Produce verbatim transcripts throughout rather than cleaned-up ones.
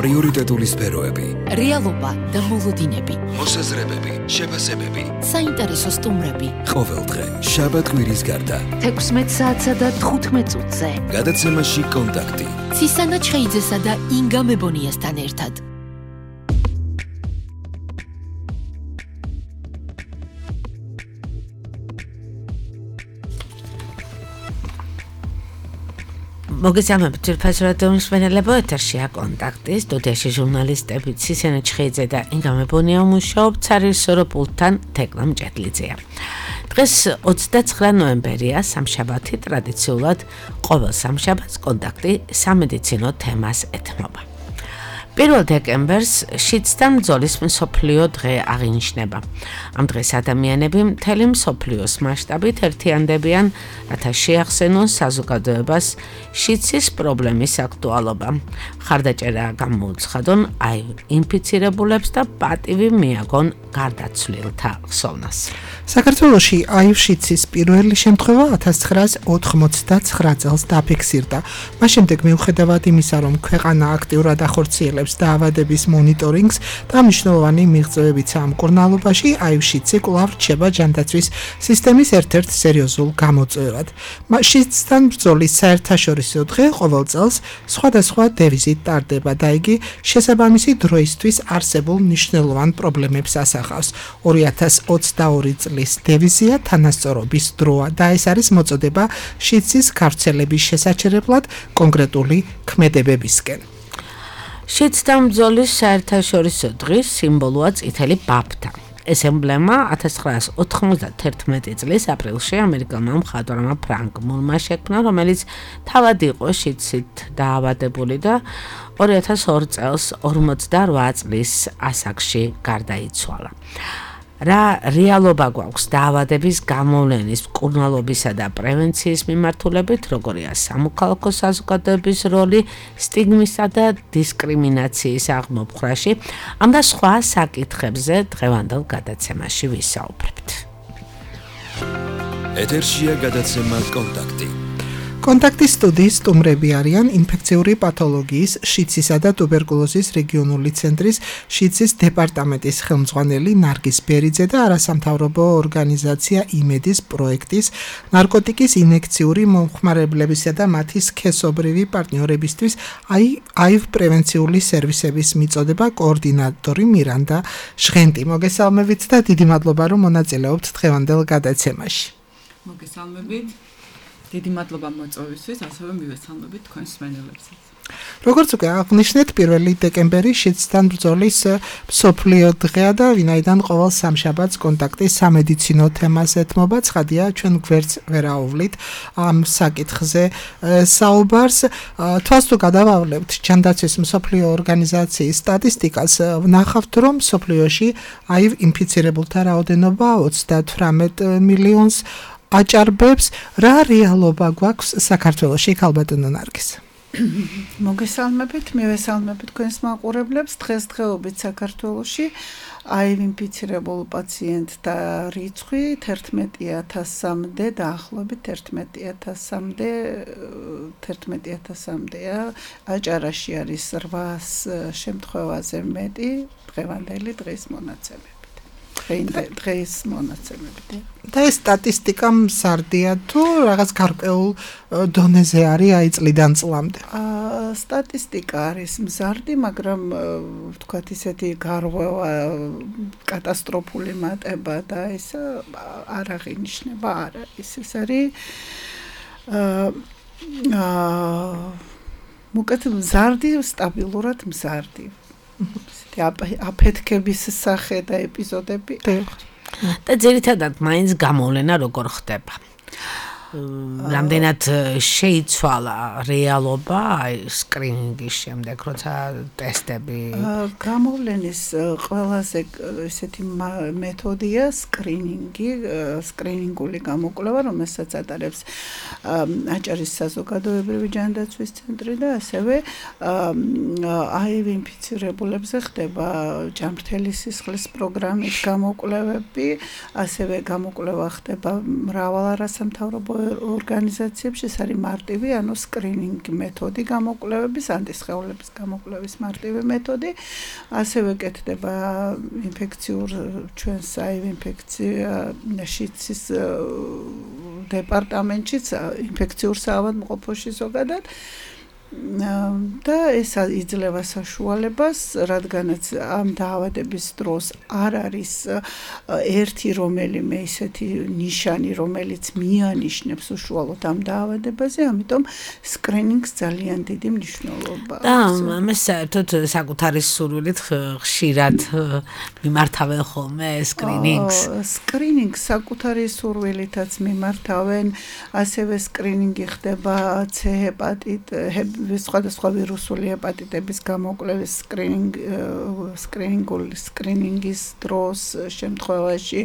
პრიორიტეტული სფეროები, რეალობა და მოლოდინები, მოსაზრებები, შეფასებები, საინტერესო სტუმრები. ყოველდღე შაბათ-კვირის გარდა თექვსმეტ საათსა და თხუთმეტ წუთზე გადაცემაში კონტაქტი ცისანა ჩხეიძესა და ინგა მებონიასთან ერთად. მოგესალმებით თურქეთის რადიოს მსმენელებო, ეთერშია კონტაქტი, სტუდიაში ჟურნალისტები ცისანა ჩხეიძე და ინგა მებონია მუშაობთ, სარეჟისორო პულტთან თეკლა მჭედლიძეა. დღეს ოცდაცხრა ნოემბერია, სამშაბათი, ტრადიციულად ყოველ სამშაბათს კონტაქტი სამედიცინო თემას ეთმობა. პირველ დეკემბერს შიდსთან ბრძოლის მსოფლიო დღე აღინიშნება. ამ დღეს ადამიანები მთელი მსოფლიოს მასშტაბით ერთიანდებიან, რათა შეახსენონ საზოგადოებას შიდსის პრობლემის აქტუალობა. ხარდაჭერა გამოუცხადონ აივ ინფიცირებულებს და პატივი მიაგონ გარდაცვლილთა ხსოვნას. საქართველოში აივ შიდსის პირველი შემთხვევა ათას ცხრაას ოთხმოცდაცხრა წელს დაფიქსირდა. მას შემდეგ მიუხედავად იმისა, რომ ქვეყანა აქტიურად ახორციელებს დაავადების მონიტორინგს და მნიშვნელოვანი მიღწევებიცა ამ მკურნალობაში, აივ შიდსი კვლავ რჩება ჯანდაცვის სისტემის ერთ-ერთ სერიოზულ გამოწვევად. შიდსთან ბრძოლის საერთაშორისო დღე ყოველ წელს სხვადასხვა დევიზით ტარდება და იგი შესაბამისი დროისთვის არსებულ მნიშვნელოვან პრობლემებს ასახავს. ორი ათას ოცდაორი წლის დევიზია თანასწორობის დროა და ეს არის მოწოდება შიდსის გავრცელების შესაჩერებლად კონკრეტული ქმედებებისკენ. შიდსთან ბრძოლის საერთაშორისო დღის სიმბოლოა წითელი ბაფთა. ეს ემბლემა ათას ცხრაას ოთხმოცდაათერთმეტი წლის აპრილში ამერიკელმა მხატვრმა ფრანკ მურმა შექმნა, რომელიც თავად იყო შიდსით დაავადებული და ორი ათას ორი წელს ორმოცდარვა წლის ასაკში გარდაიცვალა. რა რეალობა გვაქვს დაავადების გამოვლენის, მკურნალობისა და პრევენციის მიმართულებით, როგორია სამოქალაქო საზოგადოების როლი სტიგმისა და დისკრიმინაციის აღმოფხვრაში, ამ და სხვა საკითხებზე დღევანდელ გადაცემაში ვისაუბრებთ. ეთერშია გადაცემა კონტაქტი. კონტაქტის სტუდიის სტუმრები არიან ინფექციური პათოლოგიის, შიდსისა და ტუბერკულოზის რეგიონული ცენტრის შიდსის დეპარტამენტის ხელმძღვანელი ნარგის ბერიძე და არასამთავრობო ორგანიზაცია იმედის პროექტის ნარკოტიკის ინექციური მომხმარებლებისა და მათი სქესობრივი პარტნიორებისთვის აივ პრევენციული სერვისების მიწოდება კოორდინატორი მირანდა ჟღენტი. მოგესალმებით და დიდი მადლობა, რომ მონაწილეობთ დღევანდელ გადაცემაში. მოგესალმებით. დიდი მადლობა მოწვევისთვის, ასევე მივესალმებით თქვენს მსმენელებსაც. როგორც უკვე აღნიშნეთ, პირველი დეკემბერი შიდსთან ბრძოლის მსოფლიო დღეა და ვინაიდან ყოველ სამშაბათს კონტაქტი სამედიცინო თემას ეთმობა, ცხადია, ჩვენ გვერდს ვერ აუვლით ამ საკითხზე საუბარს. თვალს თუ გადავავლებთ ჯანდაცვის მსოფლიო ორგანიზაციის სტატისტიკას, ვნახავთ, რომ მსოფლიოში აივ ინფიცირებულთა რაოდენობა ოცდათვრამეტ მილიონს აჭარბებს. რა რეალობა გვაქვს საქართველოში, ქალბატონო ნარგის? მოგესალმებით, მივესალმებით თქვენს მაყურებლებს. დღესდღეობით საქართველოში აივ ინფიცირებულ პაციენტთა რიცხვი თერთმეტი ათასამდე, დაახლოებით თერთმეტი ათასამდე, თერთმეტი ათასამდეა. აჭარაში არის რვას შემთხვევაზე მეტი დღევანდელი დღის მონაცემებით. დღეს მონაცემებით. და ეს სტატისტიკა მზარდია თუ რაღაც გარკვეულ დონეზე არის აი წლიდან წლამდე? სტატისტიკა არის მზარდი, მაგრამ ვთქვათ ისეთი გარღვევა, კატასტროფული მატება და ეს არ აღინიშნება, არა, ის ეს არის მოკეთ მზარდი, სტაბილურად მზარდი. აფეთქების სახე და ეპიზოდები. და ძირითადად მაინც გამოვლენა როგორ ხდება? რამდენად შეიცვალა რეალობა აი სკრინინგის შემდეგ, როცა ტესტები? გამოვლენის ყველაზე ესეთი მეთოდია სკრინინგი, სკრინინგული გამოკვლევა, რომელსაც ატარებს აჭარის საზოგადოებრივი ჯანდაცვის ცენტრი და ასევე აივ ინფიცირებულებზე ხდება ჯანმრთელი სისხლის პროგრამით გამოკვლევები, ასევე გამოკვლევა ხდება მრავალ არასამთავრობო ორგანიზაციებში ეს არის მარტივი, ანუ სკრინინგ მეთოდი გამოკვლევების, ანტისხეულების გამოკვლევის მარტივი მეთოდი. ასევე კეთდება ინფექციურ ჩვენს აივ ინფექციაში დეპარტამენტშიც, ინფექციურ საავადმყოფოში ზოგადად. და ეს იძლევა საშუალებას, რადგანაც ამ დაავადების დროს არ არის ერთი რომელიმე ისეთი ნიშანი, რომელიც მიანიშნებს უშუალოდ ამ დაავადებაზე, ამიტომ სკრინინგს ძალიან დიდი მნიშვნელობა აქვს. და მე საერთოდ საკუთარი სურვილით ხშირად მიმართავენ ხოლმე სკრინინგს. სკრინინგს საკუთარი სურვილითაც მიმართავენ, ასევე სკრინინგი ხდება C ჰეპატიტ სხვადასხვა ვირუსული ჰეპატიტების გამოკვლევის სკრინინგ სკრინინგული სკრინინგის დროს შემთხვევაში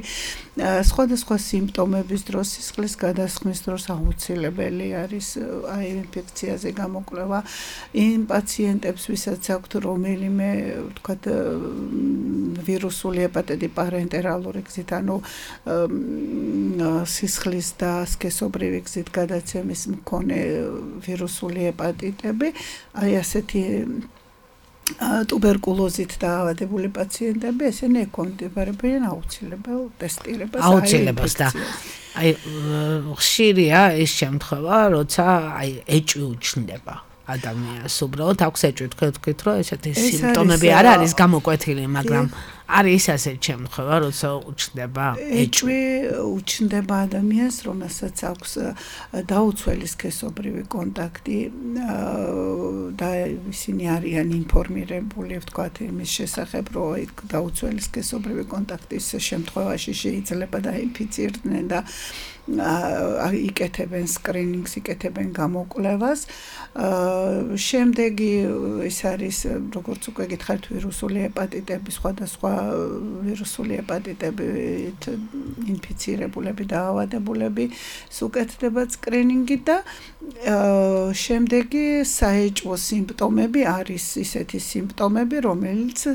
სხვადასხვა სიმპტომების დროს სისხლის გადასხმის დროს აუცილებელი არის აი ინფექციაზე გამოკვლევა იმ პაციენტებს ვისაც აქვთ რომელიმე ვთქვათ ვირუსული ჰეპატიტი პარენტერალური გზით ანუ სისხლის და სქესობრივი გზით გადაცემის მქონე ვირუსული ჰეპატიტები აი ასეთი ტუბერკულოზით დაავადებული პაციენტები ესენი ეკონდიბარებიან აუცილებელ ტესტირებას აუცილებას და აი ხშირია ეს შემთხვევა როცა აი ეჭვი უჩნდება ადამიანს უბრალოდ აქვს ეჭვი თქვით რომ ესეთი სიმპტომები არ არის გამოკვეთილი მაგრამ არის ასეთი შემთხვევა როცა უჩნდება ეჭვი უჩნდება ადამიანს რომელსაც აქვს დაუცველი სქესობრივი კონტაქტი და ისინი არიან ინფორმირებული ვთქვათ იმის შესახებ რომ დაუცველი სქესობრივი კონტაქტის შემთხვევაში შეიძლება დაინფიცირდნენ და იკეთებენ სკრინინგს იკეთებენ გამოკვლევას შემდეგი ეს არის როგორც უკვე გითხარით ვირუსული ჰეპატიტები სხვადასხვა ვირუსული ჰეპატიტებით ინფიცირებულები დაავადებულები უკეთდება სკრინინგი და შემდეგი საეჭვო სიმპტომები არის ისეთი სიმპტომები რომელიც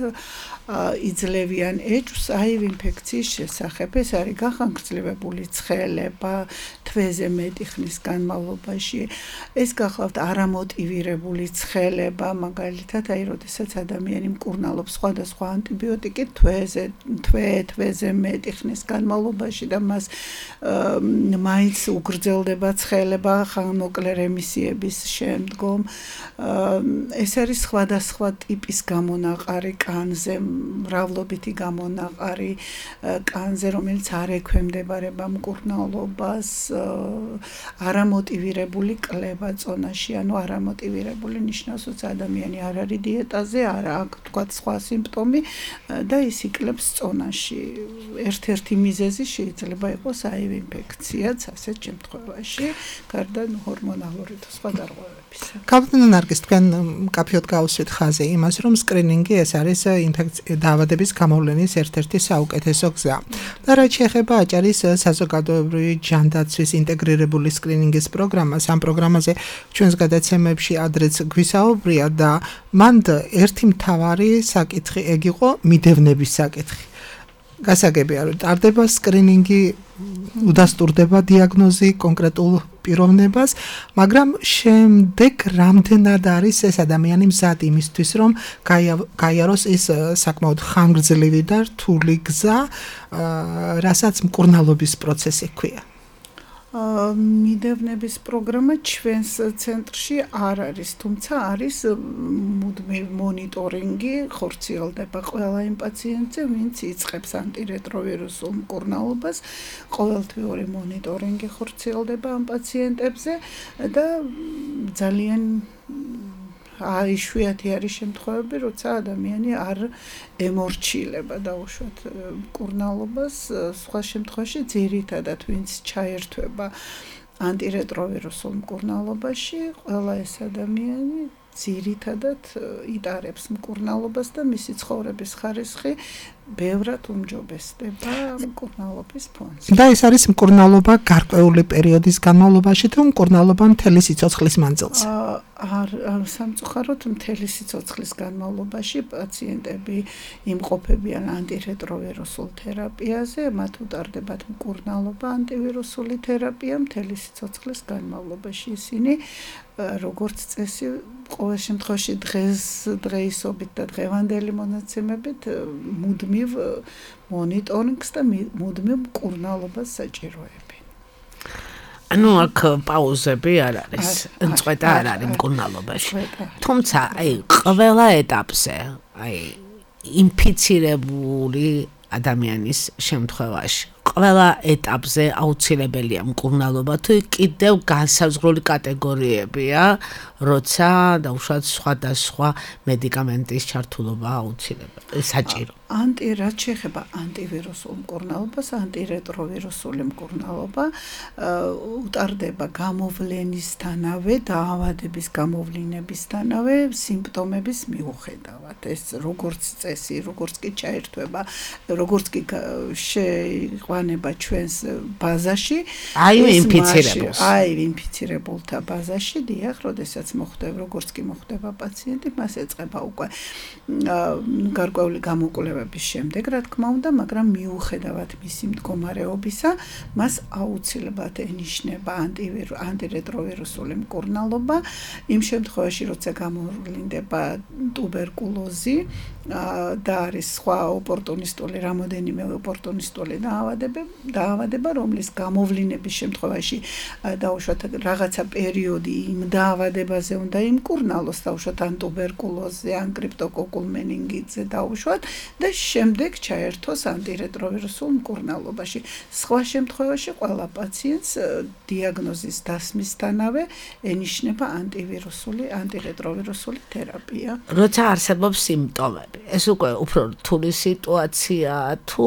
იძლევიან ეჭვს აივ ინფექციის შესახებ ეს არის გახანგრძლივებული ცხელება თვეზე მეტი ხნის განმავლობაში ეს გახლავთ არამოტივირებული ცხელება მაგალითად აი როდესაც ადამიანი მკურნალობს სხვადასხვა ანტიბიოტიკით თვეზე თვე თვეზე მეტი ხნის განმავლობაში და მას მაინც უგრძელდება ცხელება ხანმოკლე რემისიების შემდგომ ეს არის სხვადასხვა ტიპის გამონაყარი კანზე მრავლობითი გამონაყარი კანზე რომელიც არ ექვემდებარება მკურნალობას არამოტივირებული კლება წონაში ანუ არამოტივირებული ნიშნავს რომ ადამიანი არ არის დიეტაზე არ აქვს თქვა სხვა სიმპტომი და ის იკლებს წონაში ერთ-ერთი მიზეზი შეიძლება იყოს აივ ინფექციაც ასეთ შემთხვევაში გარდა ჰორმონალური და სხვა დარღვევებისა. კაპიტან ნარგის თქვენ კაფეოდ გავუსვით ხაზე იმას რომ სკრინინგი ეს არის ინფექცია დაავადების გამოვლენის ერთ-ერთი საუკეთესო გზა. და რაც შეეხება აჭარის საზოგადოებრივი ჯანდაცვის ინტეგრირებული სკრინინგის პროგრამას, ამ პროგრამაზე ჩვენს გადაცემებში ადრეც გვისაუბრია და მან ერთი მთავარი საკითხი ეგ იყო მიდევნების საკითხი. გასაგებია რომ ტარდება სკრინინგი, უდასტურდება დიაგნოზი კონკრეტულ პიროვნებას, მაგრამ შემდეგ რამდენად არის ეს ადამიანი მზად იმისთვის, რომ გაიაროს ის საკმაოდ ხანგრძლივი და რთული გზა, რასაც მკურნალობის პროცესი ჰქვია. მიდევნების პროგრამა ჩვენს ცენტრში არ არის, თუმცა არის მუდმივ მონიტორინგი, ხორციელდება ყველა იმ პაციენტზე, ვინც იწყებს ანტირეტროვირუსულ მკურნალობას, ყოველთვიური მონიტორინგი ხორციელდება ამ პაციენტებზე და ძალიან აი შვიათი არის შემთხვევები, როცა ადამიანი არ ემორჩილება დაუშვათ მკურნალობას, სხვა შემთხვევაში ძირითადად ვინც ჩაერთვება ანტირეტროვირუსულ მკურნალობაში, ყველა ეს ადამიანი ძირითადად იტარებს მკურნალობას და მისი ცხოვრების ხარისხი ბევრად უმჯობესდება მკურნალობის ფონზე. და ეს არის მკურნალობა გარკვეული პერიოდის განმავლობაში თუ მკურნალობა მთელი სიცოცხლის მანძილზე? არ სამწუხაროდ მთელი სიცოცხლის განმავლობაში პაციენტები იმყოფებიან ანტირეტროვირუსულ თერაპიაზე, მათ utარდებათ მკურნალობა ანტივირუსული თერაპია მთელი სიცოცხლის განმავლობაში. ისინი როგორც წესი ყოველ შემთხვევაში დღეს დღეისობით და დღევანდელი მონაცემებით მუდმივ მონიტორინგს და მუდმივ მკურნალობას საჭიროებენ. ანუ აქ პაუზები არ არის, წვეტა არ არის მკურნალობაში. თუმცა აი ყველა ეტაპზე, აი ინფიცირებული ადამიანის შემთხვევაში ყველა ეტაპზე აუცილებელია მკურნალობა, თუ კიდევ განსაზღვრული კატეგორიებია, როცა დაუშვათ სხვადასხვა მედიკამენტის ჩართულობა აუცილებელი, საჭირო. ანტი რაც შეეხება ანტივირუსულ მკურნალობას, ანტირეტროვირუსული მკურნალობა utარდება გამოვლენისთანავე, დაავადების გამოვლინებისთანავე სიმპტომების მიუხედავად. ეს როგორც წესი, როგორც კი ჩაერთვება, როგორც კი შეიყვანება ჩვენს ბაზაში, აი ინფიცირებულს. აი ინფიცირებულთა ბაზაში, დიახ, როდესაც მოხდება, როგორც კი მოხდება პაციენტი, მას ეწყება უკვე გარკვეული გამოკვლევების შემდეგ, რა თქმა უნდა, მაგრამ მიუხედავად მისი მდგომარეობისა, მას აუცილებლად ენიშნება ანტირეტროვირუსული მკურნალობა, იმ შემთხვევაში, როცა გამოვლინდება ტუბერკულოზი და არის სხვა ოპორტუნისტული, რამოდენიმე ოპორტუნისტული დაავადება, რომლის გამოვლინების შემთხვევაში დაუშვათ რაღაცა პერიოდი იმ დაავადებაზე უნდა იმკურნალოს, დაუშვათ ან ტუბერკულოზზე, ან კრიპტოკოკულ მენინგიტზე დაუშვათ და შემდეგ ჩაერთოს ანტირეტროვირუსულ მკურნალობაში. სხვა შემთხვევაში ყველა პაციენტს დიაგნოზის დასმისთანავე ენიშნება ანტივირუსული, ანტირეტროვირუსული თერაპია. როცა არსებობს სიმპტომები, ეს უკვე უფრო რთული სიტუაცია თუ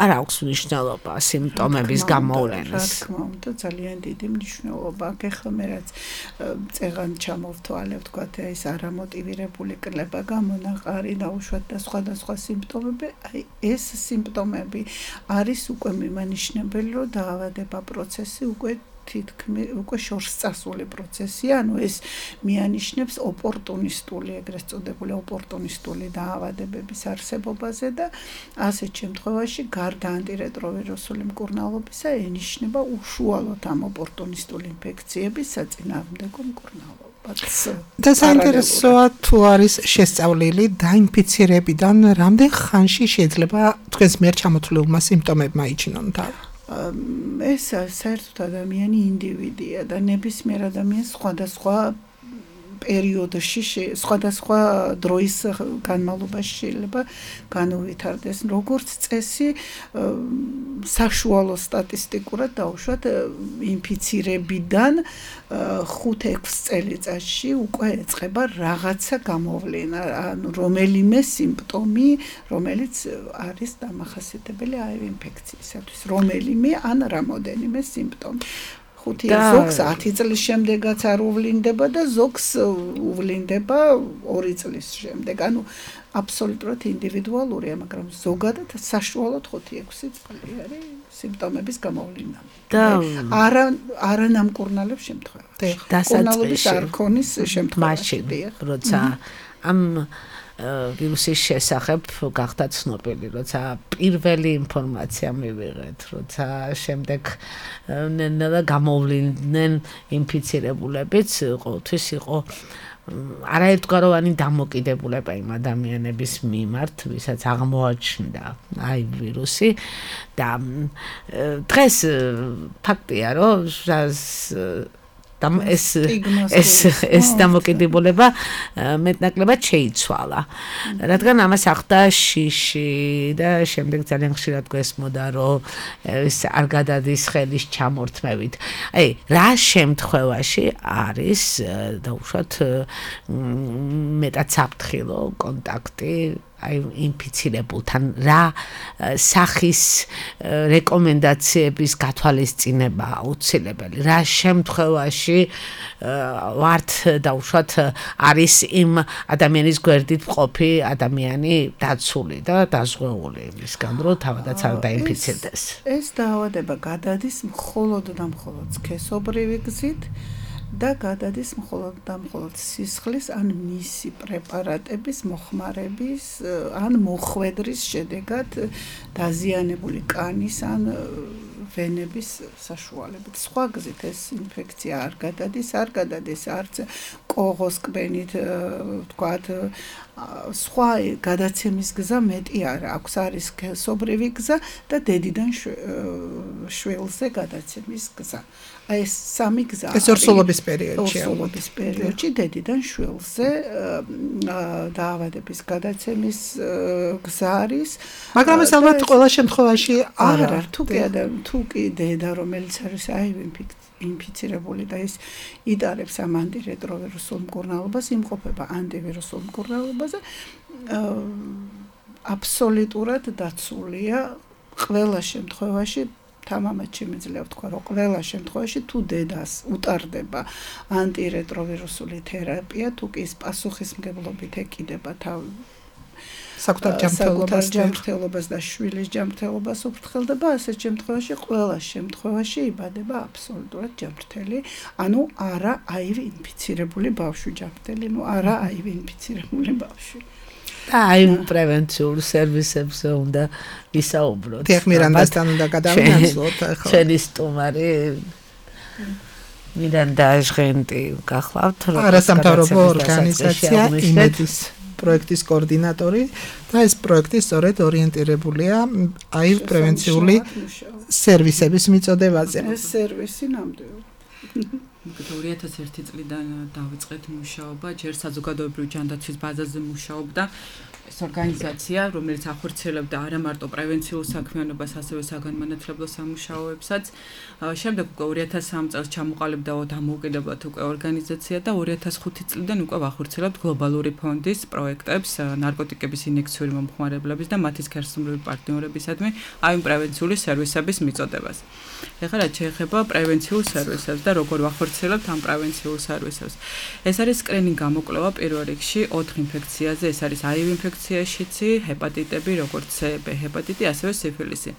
არ აქვს მნიშვნელობა სიმპტომების გამოვლენას? რა თქმა უნდა, ძალიან დიდი მნიშვნელობა აქვს. ეხლა მე რაც წეღან ჩამოვთვალე, ვთქვათ, ეს არამოტივირებული კლება გამონაყარი, დაუშვათ და სხვადასხვა სიმპტომები, აი ეს სიმპტომები არის უკვე მიმანიშნებელი, რომ დაავადება პროცესი უკვე თითქმის უკვე შორს წასული პროცესია, ანუ ეს მიანიშნებს ოპორტუნისტული, ეგრეთ წოდებული ოპორტუნისტული დაავადებების არსებობაზე და ასეთ შემთხვევაში გარდა ანტირეტროვირუსული მკურნალობისა ენიშნება უშუალოდ ამ ოპორტუნისტული ინფექციების საწინააღმდეგო მკურნალობა. და საინტერესოა თუ არის შესწავლილი დაინფიცირებიდან რამდენ ხანში შეიძლება თქვენს მიერ ჩამოთვლილმა სიმპტომებმა იჩინონ თავი? ეს საერთოდ ადამიანი ინდივიდია და ნებისმიერ ადამიანს სხვადასხვა პერიოდში, სხვადასხვა დროის განმავლობაში შეიძლება განუვითარდეს. როგორც წესი, საშუალო სტატისტიკურად დაუშვათ ინფიცირებიდან ხუთ-ექვს წელიწადში უკვე ეწყება რაღაცა გამოვლენა, ანუ რომელიმე სიმპტომი, რომელიც არის დამახასიათებელი აი ინფექციისათვის, რომელიმე ან რამოდენიმე სიმპტომი. ზოგს ათი წლის შემდეგაც არ უვლინდება და ზოგს უვლინდება ორი წლის შემდეგ. ანუ აბსოლუტურად ინდივიდუალურია, მაგრამ ზოგადად საშუალოდ ხუთი-ექვსი წელი არის სიმპტომების გამოვლინა. და არა არა ნამკურნალებს შემთხვევაში. დასაწყისში არ ქონის შემთხვევაში, როცა ამ ვირუსის შესახებ გახდა ცნობილი, როცა პირველი ინფორმაცია მივიღეთ, როცა შემდეგ ნელა გამოვლინდნენ ინფიცირებულებიც, ყოველთვის იყო არაერთგვაროვანი დამოკიდებულება იმ ადამიანების მიმართ, ვისაც აღმოაჩნდა აი ვირუსი და დღეს ფაქტია, რომ და ეს ეს ეს დამოკიდებულება მეტნაკლებად შეიცვალა. რადგან ამას ახდა შიში და შემდეგ ძალიან ხშირად გვესმოდა, რომ ეს არ გადადის ხელის ჩამორთმევით. აი, რა შემთხვევაში არის დაუშვათ მეტად საფრთხილო კონტაქტი აი ინფიცირებულთან რა სახის რეკომენდაციების გათვალისწინება აუცილებელი რა შემთხვევაში ვართ დაუშვათ არის იმ ადამიანის გვერდით მყოფი ადამიანი დაცული და დაზღვეული იმისგან რომ თავადაც არ დაინფიცირდეს ეს დაავადება გადადის მხოლოდ და მხოლოდ სქესობრივი გზით და გადადის მხოლოდ და მხოლოდ სისხლის ან მისი პრეპარატების მოხმარების ან მოხვედრის შედეგად დაზიანებული კანის ან ვენების საშუალებით. სხვა გზით ეს ინფექცია არ გადადის, არ გადადის არც კოღოს კბენით, ვთქვათ, სხვა გადაცემის გზა მეტი არ აქვს, არის სქესობრივი გზა და დედიდან შვილზე გადაცემის გზა. აი ეს სამი გზა ეს ორსულობის პერიოდში ორსულობის პერიოდში დედიდან შვილზე დაავადების გადაცემის გზა არის მაგრამ ეს ალბათ ყველა შემთხვევაში არ არა თუ კი თუ კი დედა რომელიც არის აივ ინფიცირებული და ის იტარებს ამ ანტირეტროვირუსულ მკურნალობას იმყოფება ანტივირუსულ მკურნალობაზე აბსოლუტურად დაცულია ყველა შემთხვევაში თამამად შემიძლია ვთქვა, რომ ყველა შემთხვევაში თუ დედას უტარდება ანტირეტროვირუსული თერაპია, თუ კი ის პასუხისმგებლობით ეკიდება თავ საკუთარ ჯანმრთელობას და შვილის ჯანმრთელობას უფრთხილდება, ასეთ შემთხვევაში ყველა შემთხვევაში იბადება აბსოლუტურად ჯანმრთელი, ანუ არა აივ ინფიცირებული ბავშვი ჯანმრთელი, ნუ არა აივ ინფიცირებული ბავშვი. და აი პრევენციულ სერვისებზე უნდა ვისაუბროთ. დიახ, მირანდასთან უნდა გადავინაცვლოთ ახლა. ჩვენი სტუმარი მირანდა ჟღენტი გახლავთ, არასამთავრობო ორგანიზაცია იმედის პროექტის კოორდინატორი და ეს პროექტი სწორედ ორიენტირებულია აი პრევენციული სერვისების მიწოდებაზე. ეს სერვისი ნამდვილად ორი ათას ერთი წლიდან დავიწყეთ მუშაობა, ჯერ საზოგადოებრივი ჯანდაცვის ბაზაზე მუშაობდა ეს ორგანიზაცია, რომელიც ახორციელებდა არა მარტო პრევენციულ საქმიანობას, ასევე საგანმანათლებლო სამუშაოებსაც. შემდეგ უკვე ორი ათას სამი წელს ჩამოყალიბდა დამოუკიდებლად უკვე ორგანიზაცია და ორი ათას ხუთი წლიდან უკვე ვახორციელებთ გლობალური ფონდის პროექტებს ნარკოტიკების ინექციური მომხმარებლების და მათი სქესობრივი პარტნიორებისადმი აი პრევენციული სერვისების მიწოდებას. ეხლა რაც შეეხება პრევენციულ სერვისებს და როგორ ვახორციელებთ ამ პრევენციულ სერვისებს. ეს არის სკრინინგ გამოკვლევა პირველ რიგში ოთხ ინფექციაზე, ეს არის აივ ინფექცია, შიცი, ჰეპატიტები, როგორც C, B ჰეპატიტი, ასევე სიფილისი.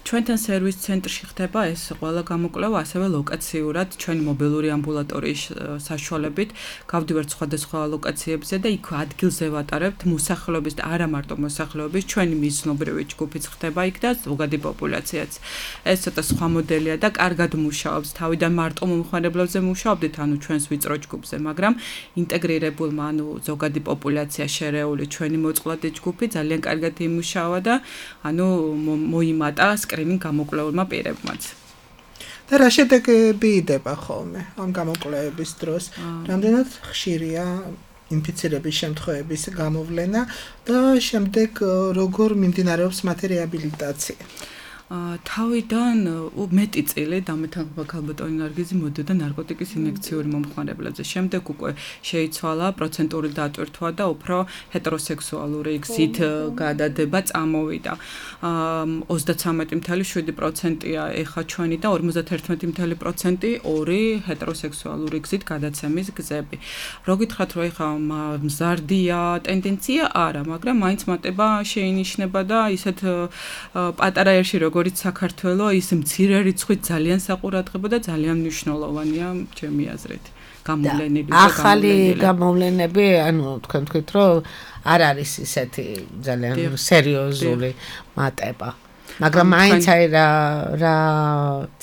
ჩვენთან სერვის ცენტრში ხდება ეს ყველა გამოკვლევა, ასევე ლოკაციურად ჩვენი მობილური ამბულატორიის საშუალებით გავდივართ სხვადასხვა ლოკაციებზე და იქ ადგილზე ვატარებთ მოსახლეობის და არა მარტო მოსახლეობის ჩვენი მიზნობრივი ჯგუფიც ხდება იქ და ზოგადი პოპულაციაც. ეს ცოტა სხვა მოდელია და კარგად მუშაობს. თავიდან მარტო მომხმარებლებზე მუშაობდით, ანუ ჩვენს ვიწრო ჯგუფზე, მაგრამ ინტეგრირებულმა, ანუ ზოგადი პოპულაცია შერეული ჩვენი მოწყვლადი ჯგუფი ძალიან კარგად იმუშავა და ანუ მოიმატა სკრინინგ გამოკვლეულმა პირებმაც. და რა შედეგები იდება ხოლმე ამ გამოკვლევების დროს? რამდენად ხშირია ინფიცირების შემთხვევების გამოვლენა და შემდეგ როგორ მიმდინარეობს მათი რეაბილიტაცია? თავიდან მეტი წილი დამეთანხმება ქალბატონი ნარგიზი მოდიოდა ნარკოტიკის ინექციური მომხმარებლებზე. შემდეგ უკვე შეიცვალა პროცენტული დატვირთვა და უფრო ჰეტეროსექსუალური გზით გადადება წამოვიდა. ოცდაცამეტი წუთი შვიდი პროცენტია ეხა ჩვენი და ორმოცდაერთმეტი წუთი პროცენტი ორი ჰეტეროსექსუალური გზით გადაცემის გზები. რო გითხრათ, რომ ეხა მზარდია ტენდენცია არა, მაგრამ მაინც მატება შეინიშნება და ისეთ პატარა ერში როგორც საქართველოს ის მცირე რიცხვით ძალიან საყურადღებო და ძალიან მნიშვნელოვანია ჩემი აზრით. გამოვლენილი და ახალი გამოვლენები, ანუ თქვენ თქვით, რომ არ არის ისეთი ძალიან სერიოზული მატება. მაგრამ მაინც აი რა რა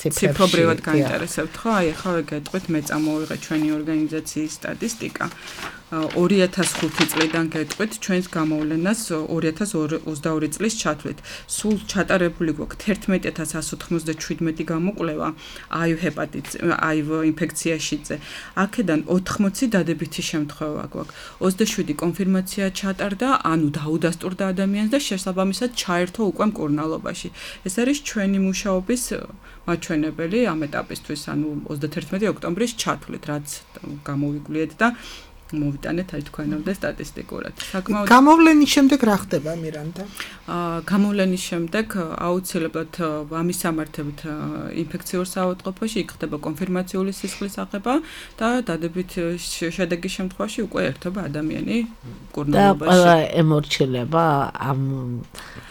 ციფრობრივად გაინტერესებთ ხო? აი ახლა ვეგეტყვით, მე წამოვიღე ჩვენი ორგანიზაციის სტატისტიკა. ორი ათას ხუთი წლიდან გეტყვით ჩვენს გამოვლენას ორი ათას ოცდაორი წლის ჩათვლით. სულ ჩატარებული გვაქვს თერთმეტი ათას ასი ოცდაშვიდმეტი გამოკვლევა აივ ჰეპატიტ აივ ინფექციაშიზე. აქედან ოთხმოცი დადებითი შემთხვევა გვაქვს. ოცდაშვიდი კონფირმაცია ჩატარდა, ანუ დაუდასტურდა ადამიანს და შესაბამისად ჩაერთო უკვე მკურნალობაში. ეს არის ჩვენი მუშაობის მაჩვენებელი ამ ეტაპისთვის, ანუ ოცდაერთმეტი ოქტომბრის ჩათვლით, რაც გამოვიგულიეთ და მოვიტანეთ აი თქვენამდე სტატისტიკურად. საკმაოდ გამოვლენის შემდეგ რა ხდება მირანდა? აა გამოვლენის შემდეგ აუცილებლად ამის სამართებით ინფექციურ საავადმყოფოში იქ ხდება კონფირმაციული სისხლის აღება და დადებით შედეგის შემთხვევაში უკვე ერთობა ადამიანი მკურნალობაში. და ყველა ემორჩილება ამ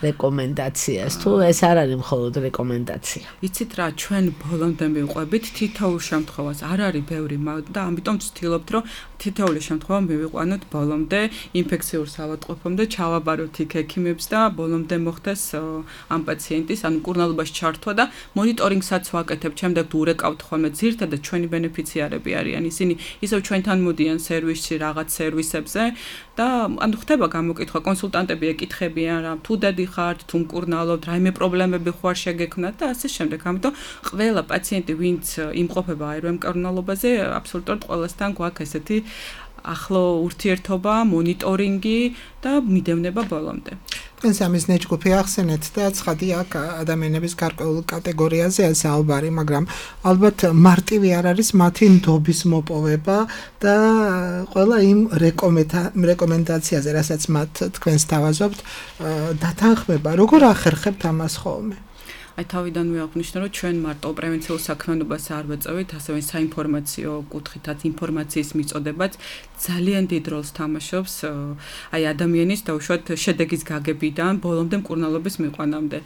რეკომენდაციას თუ ეს არ არის მხოლოდ რეკომენდაცია. იცით რა, ჩვენ ბოლომდე მივყვებით თითოეულ შემთხვევას არ არის ბევრი და ამიტომ ვცდილობთ რომ თითოეული შემთხვევა მივიყვანოთ ბოლომდე ინფექციურ საავადმყოფომდე, ჩავაბაროთ იქ ექიმებს და ბოლომდე მოხდეს ამ პაციენტის ან მკურნალობაში ჩართვა და მონიტორინგსაც ვაკეთებთ. შემდეგ ურეკავთ ხოლმე ძირითადად ჩვენი ბენეფიციარები არიან. ისინი ისევ ჩვენთან მოდიან სერვისში რაღაც სერვისებზე და ანუ ხდება გამოკითხვა, კონსულტანტები ეკითხებიან რა, თუ დადი ხართ, თუ მკურნალობთ, რაიმე პრობლემები ხო არ შეგექმნათ და ასე შემდეგ. ამიტომ ყველა პაციენტი, ვინც იმყოფება აიროე მკურნალობაზე, აბსოლუტურად ყველასთან გვაქვს ესეთი ახლო ურთიერთობა, მონიტორინგი და მიდევნება ბოლომდე. თქვენ სამის ნეჯგუფი ახსენეთ და ცხადი აქ ადამიანების გარკვეულ კატეგორიაზეა საუბარი, მაგრამ ალბათ მარტივი არ არის მათი ნდობის მოპოვება და ყველა იმ რეკომენდაციაზე, რასაც მათ თქვენ სთავაზობთ, დათანხმება. როგორ ახერხებთ ამას ხოლმე? აი თავიდანვე აღნიშნე რომ ჩვენ მარტო პრევენციულ საქმიანობას არ ვეწევით, ასევე საინფორმაციო კუთხითაც ინფორმაციის მიწოდებაც ძალიან დიდ როლს თამაშობს აი ადამიანის დაუშვათ შედეგის გაგებიდან ბოლომდე მკურნალობის მიყვანამდე.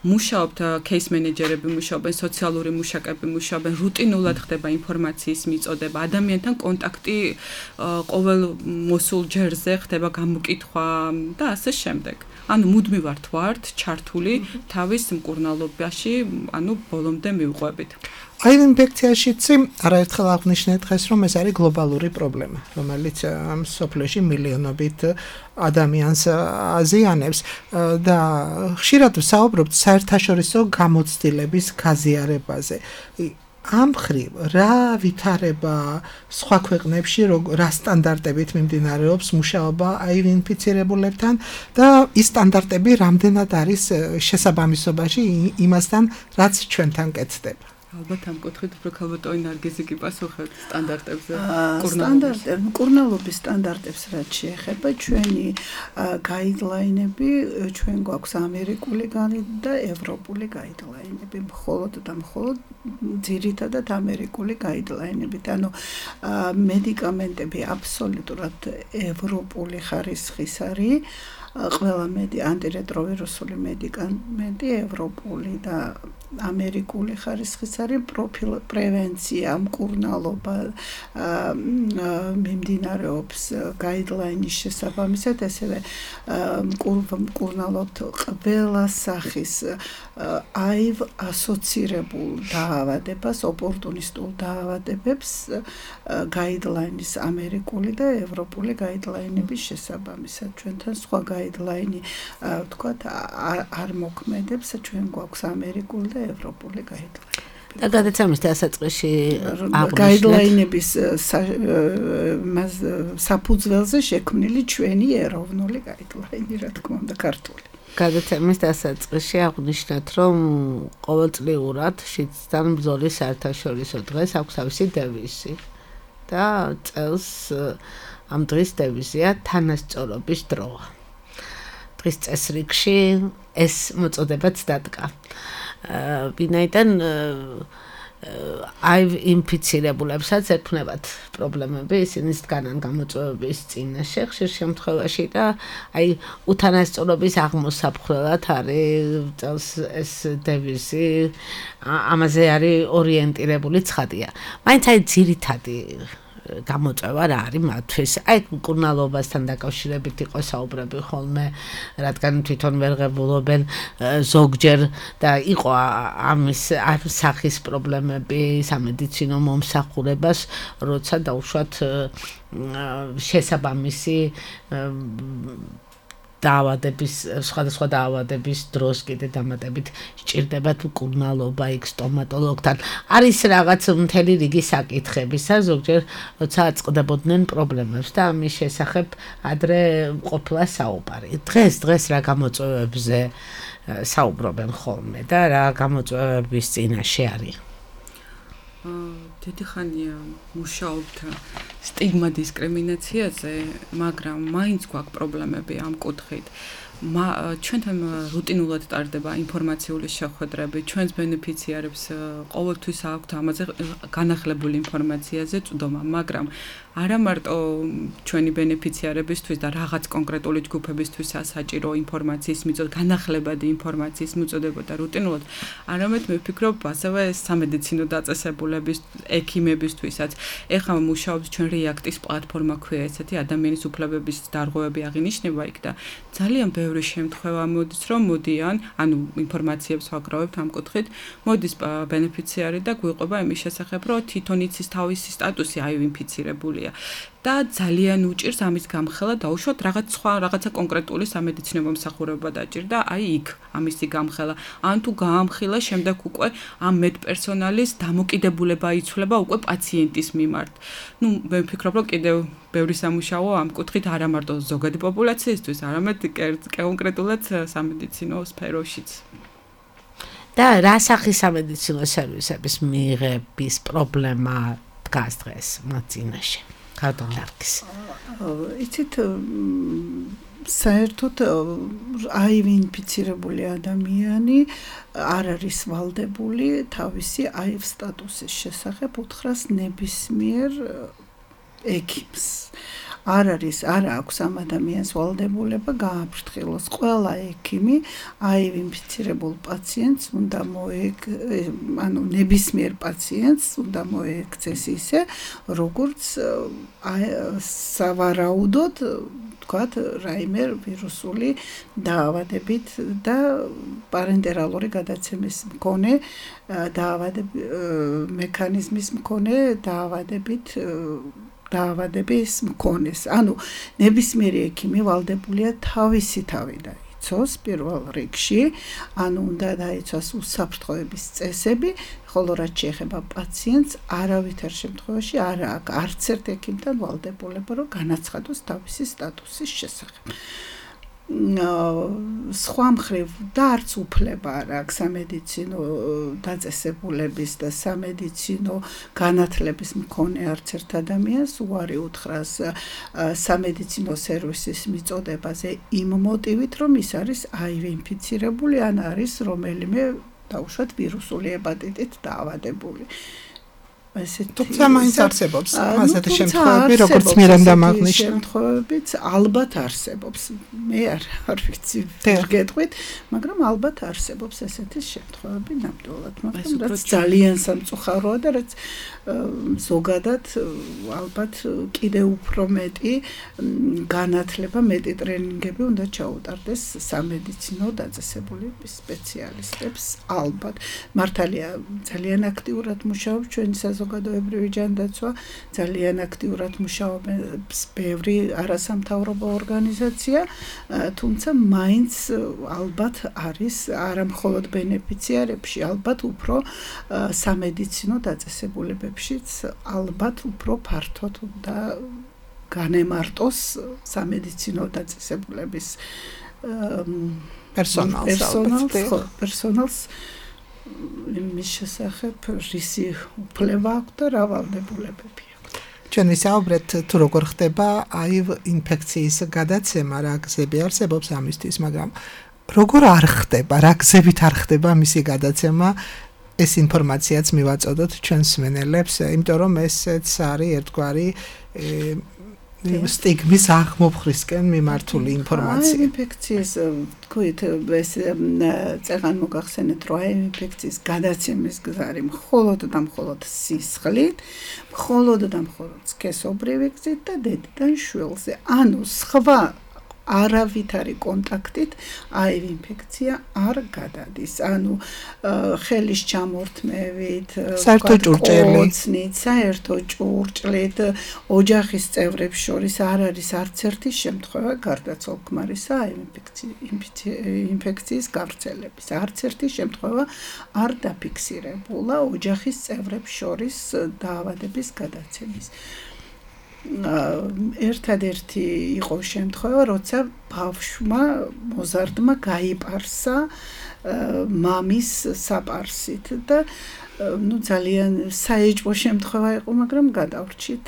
მუშაობთ кейს მენეჯერები, მუშაობენ სოციალური მუშაკები, მუშაობენ რუტინულად ხდება ინფორმაციის მიწოდება, ადამიანთან კონტაქტი ყოველ მოსულ ჯერზე ხდება გამოკითხვა და ასე შემდეგ. ანუ მუდმივად ვართ ჩართული თავის მკურნალობაში, ანუ ბოლომდე მივყვებით. აი ინფექციაში არაერთხელ აღნიშნეთ დღეს, რომ ეს არის გლობალური პრობლემა, რომელიც სოფლიოში მილიონობით ადამიანს აზიანებს და ხშირად ვსაუბრობთ საერთაშორისო გამოცდილების გაზიარებაზე. ამ ხრივ რა ვითარება სხვა ქვეყნებში რა სტანდარტებით მიმდინარეობს მუშაობა აივ ინფიცირებულებთან და ის სტანდარტები რამდენად არის შესაბამისობაში იმასთან რაც ჩვენთან კეთდება. ალბათ ამ კუთხით უფრო ქალბატონი ნარგიზი კი პასუხებს სტანდარტებზე. სტანდარტები, მკურნალობის სტანდარტებს რაც შეეხება, ჩვენი გაიდლაინები, ჩვენ გვაქვს ამერიკული და ევროპული გაიდლაინები, მხოლოდ და მხოლოდ ძირითადად ამერიკული გაიდლაინებით. ანუ მედიკამენტები აბსოლუტურად ევროპული ხარისხის არის. ყველა მედი ანტირეტროვირუსული მედიკამენტი ევროპული და ამერიკული ხარისხის არის პროფილ პრევენცია მკურნალობა მიმდინარეობს გაიდლაინის შესაბამისად ასევე მკურნალობთ ყველა სახის აივ ასოცირებულ დაავადებას ოპორტუნისტულ დაავადებებს გაიდლაინის ამერიკული და ევროპული გაიდლაინების შესაბამისად ჩვენთან სხვა გაიდლაინი ვთქვათ არ მოქმედებს ჩვენ გვაქვს ამერიკული და ევროპული გაიდლაინი. და გადაცემის დასაწყისში გაიდლაინების საფუძველზე შექმნილი ჩვენი ეროვნული გაიდლაინი, რა თქმა უნდა, ქართული. გადაცემის დასაწყისში აღნიშნეთ, რომ ყოველწლიურად შიდსთან ბრძოლის საერთაშორისო დღეს აქვს თავისი დევიზი და წელს ამ დღის დევიზია თანასწორობის დროა. დღის წესრიგში ეს მოწოდებაც დადგა. ვინაიდან აივ ინფიცირებულებსაც ექნებათ პრობლემები, ისინი დგანან გამოწვევების წინაშე ხშირ შემთხვევაში და აი უთანასწორობის აღმოსაფხვრელად არის წელს ეს დევიზი, ამაზე არის ორიენტირებული ცხადია. მაინც აი ძირითადი გამოწვევა რა არის მათთვის. აი მკურნალობასთან დაკავშირებით იყო საუბრები ხოლმე, რადგან თვითონ ვერ ღებულობენ ზოგჯერ და იყო ამის ამ სახის პრობლემები სამედიცინო მომსახურებას, როცა დაუშვათ შესაბამისი დაავადების სხვადასხვა დაავადების დროს კიდე დამატებით სჭირდებათ მკურნალობა იქ სტომატოლოგთან. არის რაღაც მთელი რიგი საკითხებისა, ზოგჯერ როცა აწყდებოდნენ პრობლემებს და ამის შესახებ ადრე ყოფილა საუბარი. დღეს დღეს რა გამოწვევებზე საუბრობენ ხოლმე და რა გამოწვევების წინაშე არის? დიდი ხანია მუშაობთ სტიგმა დისკრიმინაციაზე, მაგრამ მაინც გვაქვს პრობლემები ამ კუთხით. ჩვენთან რუტინულად ტარდება ინფორმაციული შეხვედრები, ჩვენს ბენეფიციარებს ყოველთვის აქვთ ამაზე განახლებული ინფორმაციაზე წვდომა, მაგრამ არა მარტო ჩვენი ბენეფიციარებისთვის და რაღაც კონკრეტული ჯგუფებისთვისაც საჭირო ინფორმაციის მიწოდება, განახლებადი ინფორმაციის მიწოდება და რუტინულად, არამედ მე ვფიქრობ, ასევე სამედიცინო დაწესებულების, ექიმებისთვისაც. ეხლა მუშაობს ჩვენ რეაქტის პლატფორმა ქვია ესეთი ადამიანის უფლებების დარღვევები აღინიშნება იქ და ძალიან ბევრი შემთხვევა მოდის, რომ მოდიან, ანუ ინფორმაციებს ვაგროვებთ ამ კუთხით, მოდის ბენეფიციარი და გვიყვება იმის შესახებ, რომ თვითონ იცის თავისი სტატუსი აივ-ინფიცირებული და ძალიან უჭირს ამის გამხელა დაუშვათ რაღაც სხვა რაღაცა კონკრეტული სამედიცინო მომსახურება დაჭირდა აი იქ ამისი გამხელა ან თუ გაამხილა შემდეგ უკვე ამ მედპერსონალის დამოკიდებულება იცვლება უკვე პაციენტის მიმართ. ნუ მე ვფიქრობ რომ კიდევ ბევრი სამუშაო ამ კუთხით არა მარტო ზოგადი პოპულაციისთვის, არამედ კონკრეტულად სამედიცინო სფეროშიც. და რა სახის სამედიცინო სერვისების მიღების პრობლემა დგას დღეს მათ წინაშე? ქართულ დარგის. იცით საერთოდ აივ-ინფიცირებული ადამიანი არ არის ვალდებული თავისი აივ სტატუსის შესახებ უთხრას ნებისმიერ ექიმს. არ არის, არ აქვს ამ ადამიანს ვალდებულება გააფრთხილოს. ყველა ექიმი აივ-ინფიცირებულ პაციენტს უნდა მოეკ, ანუ ნებისმიერ პაციენტს უნდა მოექცეს ისე, როგორც სავარაუდოდ, თქვათ, რაიმე ვირუსული დაავადებით და პარენტერალური გადაცემის მქონე დაავადების მექანიზმის მქონე დაავადებით დაავადების მქონეს. ანუ ნებისმიერი ექიმი ვალდებულია თავისი თავი დაიცოს პირველ რიგში, ანუ უნდა დაიცოს უსაფრთხოების წესები, ხოლო რაც შეეხება პაციენტს, არავითარ შემთხვევაში არ აქვს არც ერთ ექიმთან ვალდებულება, რომ განაცხადოს თავისი სტატუსის შესახებ. სხვა მხრივ და არც უფლება არ აქვს სამედიცინო დაწესებულების და სამედიცინო განათლების მქონე არც ერთ ადამიანს უარი უთხრას სამედიცინო სერვისის მიწოდებაზე იმ მოტივით, რომ ის არის აივ-ინფიცირებული ან არის რომელიმე დაუშვათ ვირუსული აპატიტით დაავადებული. თუმცა მაინც არსებობს ასეთი შემთხვევები, როგორც მირანდა აღნიშნა. შემთხვევებიც ალბათ არსებობს. მე არ არ ვიცი ვერ გეტყვით, მაგრამ ალბათ არსებობს ესეთი შემთხვევები ნამდვილად, მაგრამ რაც ძალიან სამწუხაროა და რაც ზოგადად ალბათ კიდევ უფრო მეტი განათლება, მეტი ტრენინგები უნდა ჩაუტარდეს სამედიცინო დაწესებულების სპეციალისტებს ალბათ. მართალია ძალიან აქტიურად მუშაობს ჩვენი საზოგადოებრივი ჯანდაცვა, ძალიან აქტიურად მუშაობს ბევრი არასამთავრობო ორგანიზაცია, თუმცა მაინც ალბათ არის არა მხოლოდ ბენეფიციარებში, ალბათ უფრო სამედიცინო დაწესებულებებშიც ალბათ უფრო ფართოდ უნდა განემარტოს სამედიცინო დაწესებულების პერსონალს პერსონალს იმის შესახებ რისი უფლება აქვს და რა ვალდებულებები აქვს. ჩვენ ვისაუბრეთ თუ როგორ ხდება აივ ინფექციის გადაცემა, რა გზები არსებობს ამისთვის, მაგრამ როგორ არ ხდება, რა გზებით არ ხდება მისი გადაცემა, ეს ინფორმაციაც მივაწოდოთ ჩვენს მსმენელებს, იმიტომ რომ ესეც არის ერთგვარი სტიგმის აღმოფხვრისკენ მიმართული ინფორმაცია. აივ-ინფექციის თქვით, ეს წეგან მოგახსენეთ, რომ აივ-ინფექციის გადაცემის გზა არის მხოლოდ და მხოლოდ სისხლით, მხოლოდ და მხოლოდ სქესობრივი გზით და დედიდან შვილზე. ანუ სხვა არავითარი კონტაქტით აივ-ინფექცია არ გადადის. ანუ ხელის ჩამორთმევით, საერთო ჭურჭელი, საერთო ჭურჭლით, ოჯახის წევრებს შორის არ არის არც ერთი შემთხვევა გარდაცვალ-ქმარისა აივ-ინფექციის გავრცელების. არც ერთი შემთხვევა არ დაფიქსირებულა ოჯახის წევრებს შორის დაავადების გადაცემის. ერთადერთი იყო შემთხვევა, როცა ბავშვმა მოზარდმა გაიპარსა მამის საპარსით და ну ძალიან საეჭვო შემთხვევა იყო, მაგრამ გადავრჩით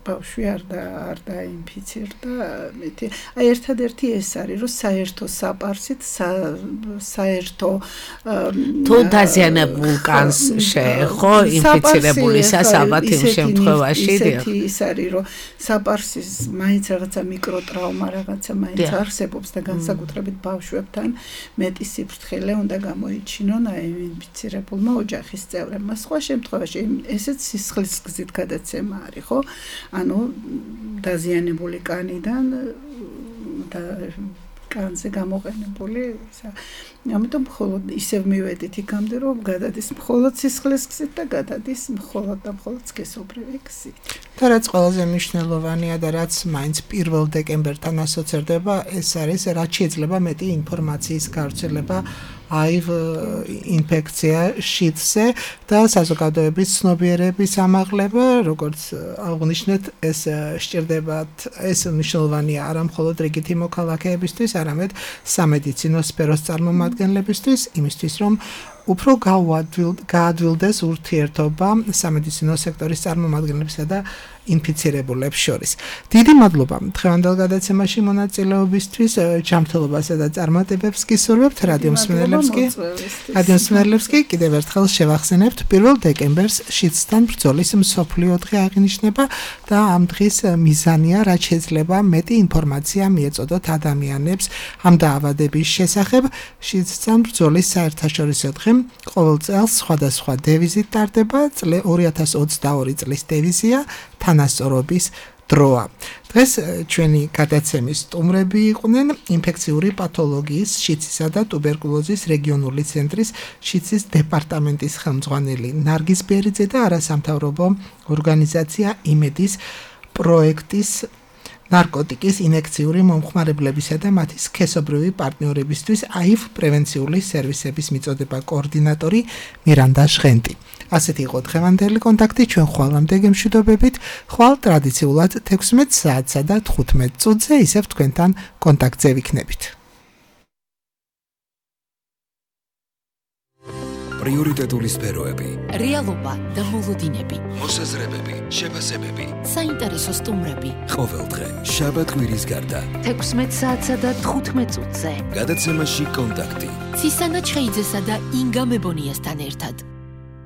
ბავშვი არ და არ დაინფიცირდა. მეთი აი ერთადერთი ეს არის, რომ საერთო საპარსით საერთო თუ დაზიანებულ კანს შეეხო ინფიცირებულისას ალბათ იმ შემთხვევაში ის არის, რომ საპარსის მაინც რაღაცა მიკროტრაუმა რაღაცა მაინც არსებობს და განსაკუთრებით ბავშვებთან მეტი სიფრთხილე უნდა გამოიჩინონ აი ინფიცირებულმა ოჯახის წევრებმა. სხვა შემთხვევაში ესეც სისხლის გზით გადაცემა არის, ხო? ანუ დაზიანებული კანიდან და კანზე გამოყენებული ისა. ამიტომ მხოლოდ ისევ მივედით იქამდე, რომ გადადის მხოლოდ სისხლის გზით და გადადის მხოლოდ და მხოლოდ სქესობრივი გზით. და რაც ყველაზე მნიშვნელოვანია და რაც მაინც პირველ დეკემბერთან ასოცირდება, ეს არის რაც შეიძლება მეტი ინფორმაციის გავრცელება აივ ინფექცია შიდსზე და საზოგადოების ცნობიერების ამაღლება, როგორც აღნიშნეთ, ეს სჭირდებათ, ეს მნიშვნელოვანია არა მხოლოდ რიგითი მოქალაქეებისთვის, არამედ სამედიცინო სფეროს წარმომადგენლებისთვის, იმისთვის, რომ უფრო გაადვილდეს ურთიერთობა სამედიცინო სექტორის წარმომადგენლებსა და ინფიცირებულებს შორის. დიდი მადლობა დღევანდელ გადაცემაში მონაწილეობისთვის, ჯანმრთელობასა და წარმატებებს გისურვებთ რადიო მსმენელებს კი. რადიო მსმენელებს კი კიდევ ერთხელ შევახსენებთ, პირველ დეკემბერს შიდსთან ბრძოლის მსოფლიო დღე აღინიშნება და ამ დღის მიზანია, რაც შეიძლება მეტი ინფორმაცია მიეწოდოთ ადამიანებს ამ დაავადების შესახებ. შიდსთან ბრძოლის საერთაშორისო დღე ყოველ წელს სხვადასხვა დევიზით ტარდება, ორი ათას ოცდაორი წლის დევიზია თანასწორობის დროა. დღეს ჩვენი გადაცემის სტუმრები იყვნენ ინფექციური პათოლოგიის, შიდსისა და ტუბერკულოზის რეგიონული ცენტრის შიდსის დეპარტამენტის ხელმძღვანელი ნარგიზ ბერიძე და არასამთავრობო ორგანიზაცია იმედის პროექტის ნარკოტიკის ინექციური მომხმარებლებისა და მათი სქესობრივი პარტნიორებისთვის აივ პრევენციული სერვისების მიწოდება კოორდინატორი მირანდა ჟღენტი. ასეთი იყო დღევანდელი კონტაქტი, ჩვენ ხვალამდე გემშვიდობებით, ხვალ ტრადიციულად თექვსმეტ საათსა და თხუთმეტ წუთზე ისევ თქვენთან კონტაქტზე ვიქნებით. პრიორიტეტული სფეროები, რეალობა და მოლოდინები, მოსაზრებები, შეფასებები, საინტერესო სტუმრები. ყოველდღე შაბათ-კვირის გარდა თექვსმეტ საათსა და თხუთმეტ წუთზე. გადაცემაში კონტაქტი. ცისანა ჩხეიძესა და ინგა მებონიასთან ერთად.